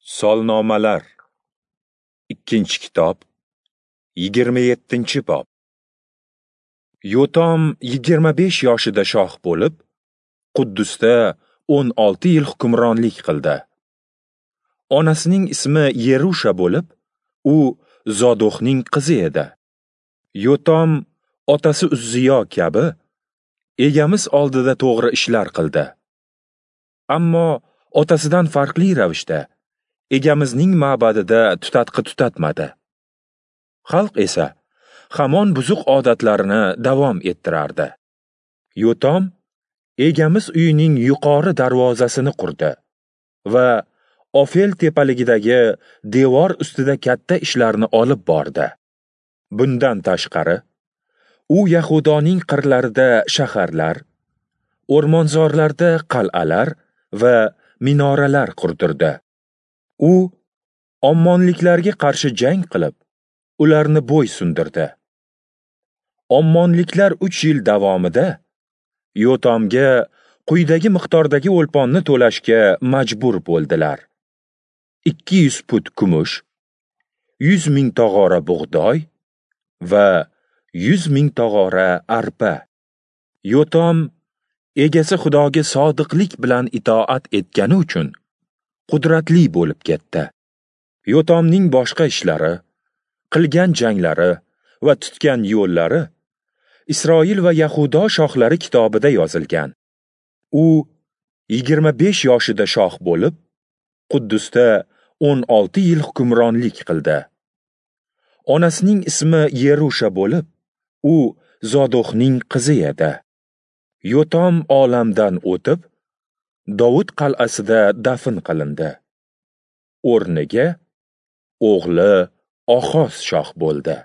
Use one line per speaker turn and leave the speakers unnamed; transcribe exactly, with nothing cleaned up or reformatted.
Solnomalar, ikkinchi kitob, yigirma yettinchi bob. Yotom yigirma besh yoshida shoh bo'lib, Quddusda o'n olti yil hukmronlik qildi. Onasining ismi Yerusha bo'lib, u Zodoqning qizi edi. Yotom otasi Uzziyo kabi Egamiz oldida to'g'ri ishlar qildi. Ammo otasidan farqli ravishda Egamizning ma'badida tutatqi tutatmadi. Xalq esa hamon buzuq odatlarini davom ettirardi. Yotom Egamiz uyining yuqori darvozasini qurdi va Ofel tepaligidagi devor ustida katta ishlarni olib bordi. Bundan tashqari, u Yahudoning qirlarida shaharlar, o'rmonzorlarda qal'alar va minoralar qurdirdi. U Ommonliklarga qarshi jang qilib, ularni bo'ysundirdi. Ommonliklar uch yil davomida Yotomga quyidagi miqdordagi o'lponni to'lashga majbur bo'ldilar: ikki yuz put kumush, yuz ming tog'ora bug'doy va yuz ming tog'ora arpa. Yotom egasi Xudoga sodiqlik bilan itoat etgani uchun qudratli bo'lib ketdi. Yotomning boshqa ishlari, qilgan janglari va tutgan yo'llari Isroil va Yahudo shohlari kitobida yozilgan. U yigirma besh yoshida shoh bo'lib, Quddusda o'n olti yil hukmronlik qildi. Onasining ismi Yerusha bo'lib, u Zodoqning qizi edi. Yotom olamdan o'tib, Dovud qal'asida dafn qilindi. O'rniga o'g'li Oxoz shoh bo'ldi.